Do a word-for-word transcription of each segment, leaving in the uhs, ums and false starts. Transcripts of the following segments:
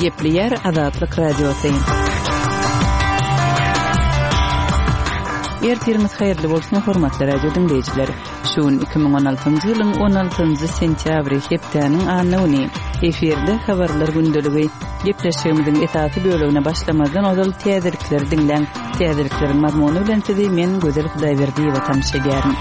Gepleýär Azatlyk Radiosy. Ertiriňiz haýyrly bolsun, hormatly radio diňleýjiler. Şu gün iki müň on altynjy ýylyň on altynjy sentýabry, hepdäniň anna güni. Efirde habarlar gündeligi. Gepleşigimiziň esasy bölegine başlamazdan ozal täzelikleri diňläň. Täzelikleriň mazmuny bilen sizi men Gözel Hudaýberdiýewa tanyş edýärin.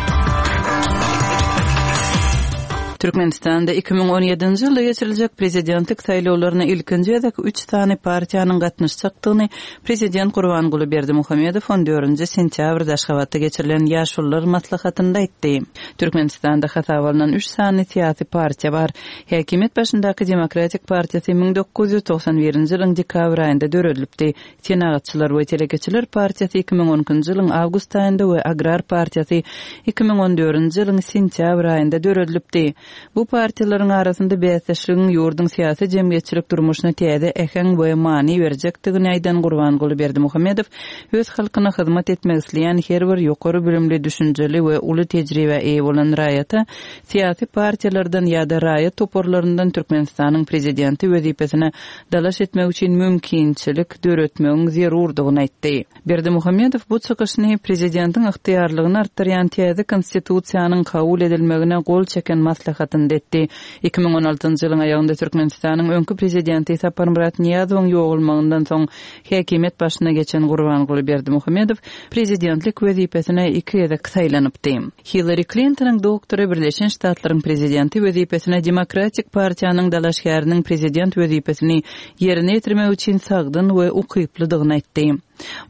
Türkmenistanda iki müň on ýedinji ýylda geçiriljek prezidentlik saýlawlaryna ilkinji gezek üç sany partiýanyň gatnaşjakdygyny prezident Gurbanguly Berdimuhamedow on dördünji sentýabrda Aşgabatda geçirilen Ýaşulular maslahatynda aýtdy. Türkmenistanda hasaba alnan üç sany syýasy partiýa bar. Häkimiýet başyndaky Demokratik partiýasy müň dokuz ýüz togsan birinji ýylyň dekabr aýynda döredilipdi. Senagatçylar we telekeçiler partiýasy iki müň on ikinji ýylyň awgust aýynda we Agrar partiýasy iki müň on dördünji ýylyň sentýabr aýynda döredilipdi. Bu partiýalaryň arasynda bäsdeşligiň ýurduň syýasy jemgyýetçilik durmuşyna täze äheň we many berjekdigini aýdan Gurbanguly Berdimuhamedow öz halkyna hyzmat etmek isleýän her bir ýokary bilimli, düşünjeli we uly tejribä eýe bolan raýata syýasy partiýalardan ýa-da raýat toparlaryndan Türkmenistanyň prezidenti wezipesine dalaş etmek üçin mümkinçilik döretmegiň zerurdygyny aýtdy. Berdimuhamedow bu çykyşyny prezidentiň ygtyýarlygyny artdyrýan täze konstitusiýanyň kabul edilmegine gol çeken maslahatynda etdi. Iki müň on altynjy ýylyň aýagynda Türkmenistanyň öňki prezidenti Saparmyrat Nyýazowyň ýogalmagyndan soň häkimiýet başyna geçen Gurbanguly Berdimuhamedow prezidentlik wezipesine iki gezek saýlanypdy. Hillary Clintonyň doktory Birleşen Ştatlaryň prezidenti wezipesine Demokratik partiýanyň dalaşgäriniň prezident wezipesini ýerine ýetirmek üçin sagdyn we ukyplydygyny aýtdy.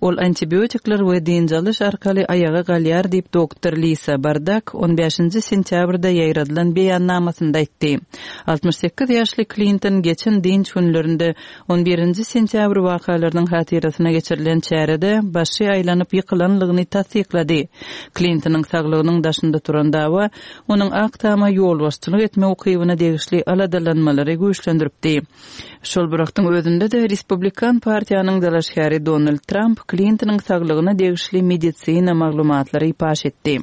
Ol antibiotikler we dynç alyş arkaly aýaga galýar diýip doktor Lisa Bardak on bäşinji sentýabrda ýaýradylan beýannamasynda aýtdy. Altmyş sekiz ýaşly Clinton geçen dynç günlerinde on birinji sentýabr wakalarynyň hatyrasyna geçirilen çärede başy aýlanyp ýykylanlygyny tassyklady. Clintonyň saglygynyň daşynda turan dawa onuň Ak Tama ýolbaşçylyk etme ukybyna degişli aladalanmalary güýçlendiripdi. Şol bir wagtyň özünde de Respublikan partiýanyň dalaşgäri Donald Trump Clintonyň saglygyna degişli medisina maglumatlary paş etdi.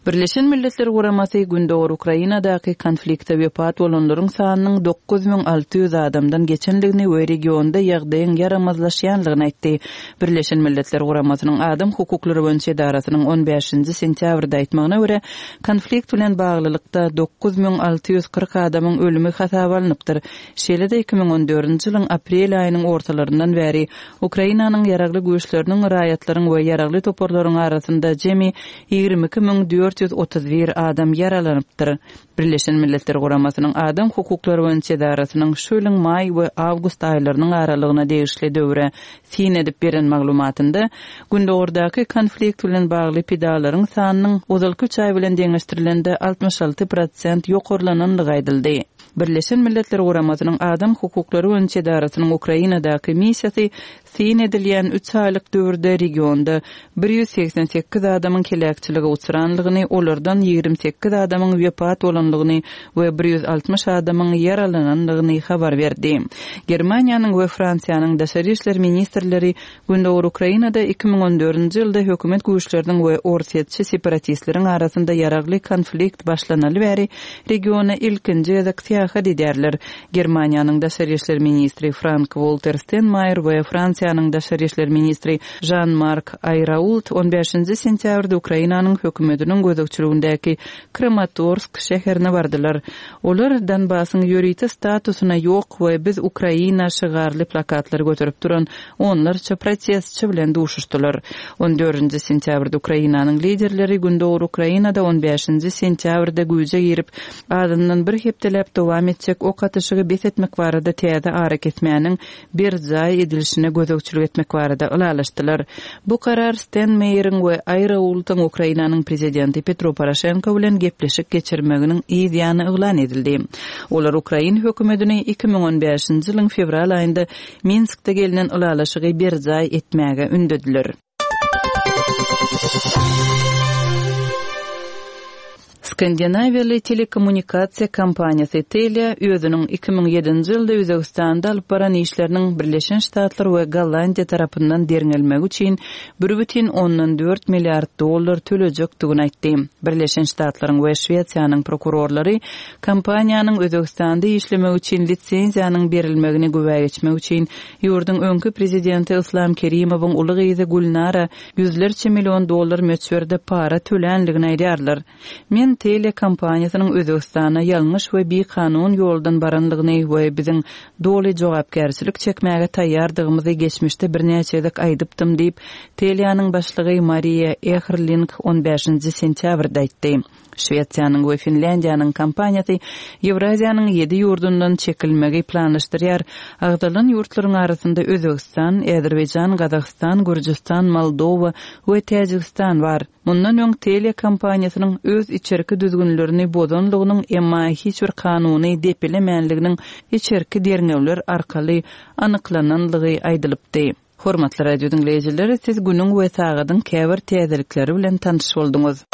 Birleşen Milletler Guramasy Gündogar Ukrainadaky konflikte wepat bolanlaryň sanynyň dokuz müň alty ýüz adamdan geçendigini we regionda ýagdaýyň ýaramazlaşýanlygyny aýtdy. Birleşen Milletler Guramasynyň Adam hukuklary boýunça edarasynyň on bäşinji sentýabrda aýtmagyna görä, konflikt bilen baglylykda dokuz müň alty ýüz kyrk adamyň ölümi hasaba alnypdyr. Şeýle-de iki müň on dördünji ýylyň aprel aýynyň ortalaryndan bäri Ukrainanyň ýaragly güýçleriniň, raýatlaryň we ýaragly toparlaryň arasynda jemi ýigrimi iki müň dört ýüz otuz bir adam ýaralanypdyr. Birleşen Milletler Guramasynyň Adam hukuklary boýunça edarasynyň şu ýylyň maý we awgust aýlarynyň aralygyna degişli döwre syn edip beren maglumatynda Gündogardaky konflikt bilen bagly pidalaryň sanynyň ozalky üç aý bilen deňeşdirilende altmyş alty prosent ýokarlanandygy aýdyldy. Birleşen Milletler Guramasynyň Adam hukuklary boýunça edarasynyň Ukrainadaky missiýasy syn edilýän üç aýlyk döwürde regionda bir ýüz seksen sekiz adamyň heläkçilige uçranlygyny, olardan ýigrimi sekiz adamyň wepat bolanlygyny we bir ýüz altmyş adamyň ýaralananlygyny habar berdi. Germaniýanyň we Fransiýanyň daşary işler ministrleri Gündogar Ukrainada iki müň on dördünji ýylda hökümet güýçleriniň we orsýetçi separatistleriň arasynda ýaragly konflikt başlanaly bäri regiona ilkinji gezek syýahat edýärler. Germaniýanyň daşary işler ministri Frank Walter Steinmeier we Fransiýanyň daşary işler ministri Jean-Marc Ayrault on bäşinji sentýabrda Ukrainanyň hökümetiniň gözegçiligindäki Kramatorsk şäherine bardylar. Olar Donbasyň ýörite statusyna ýok we biz Ukraina şygarly plakatlary göterip duran onlarça protestçi bilen duşuşdylar. On dördünji sentýabrda Ukrainanyň liderleri Gündogar Ukrainada on bäşinji sentýabrda güýje girip, azyndan bir hepdeläp dowam etjek ok atyşygy bes etmek barada täze ara kesmäniň berjaý edilişine gözegçilik etmek barada ylalaşdylar. Bu karar Steinmeieriň we Ayraultyň Ukrainanyň prezidenti Petro Poroşenko bilen gepleşik geçirmeginiň yz ýany yglan edildi. Olar Ukrain hökümetini iki müň on bäşinji ýylyň fewral aýynda Minskde gelinen ylalaşygy berjaý etmäge ündediler. Skandinawiýaly telekommunikasiýa kompaniýasy Telia özüniň iki müň ýedinji ýylda Özbegistanda alyp baran işleriniň Birleşen Ştatlar we Gollandiýa tarapyndan derňelmegi üçin bir bütin ondan dört milliard dollar tölejekdigini aýtdy. Birleşen Ştatlaryň we Şwesiýanyň prokurorlary kompaniýanyň Özbegistanda işlemegi üçin lisenziýanyň berilmegini güwä geçmek üçin ýurduň öňki prezidenti Yslam Kerimowyň uly gyzy Gülnara ýüzlerçe million dollar möçberde para tölänligini aýdýarlar. Men Telia kompaniýasynyň Özbegistana ýalňyş we bikanun ýoldan baranlygyny we biziň doly jogapkärçilik çekmäge taýýardygymyzy geçmişde birnäçe gezek aýdypdym diýip, Telianyň başlygy Mariýa Ehrling on bäşinji sentýabrda aýtdy. Şwesiýanyň we Finlýandiýanyň kompaniýasy Ýewraziýanyň ýedi ýurdundan çekilmegi planlaşdyrýar. Agzalan ýurtlaryň arasynda Özbegistan, Azerbaýjan, Gazagystan, Gürjüstan, Moldowa we Täjigistan bar. Mundan öň Telia kompaniýasynyň öz içerki düzgünlerini bozanlygynyň, emma hiç bir kanuny depelemänliginiň içerki derňewler arkaly anyklananlygy aýdylypdy. Hormatly radio diňleýjiler, siz günüň we sagadyň käbir täzelikleri bilen tanyş bolduňyz.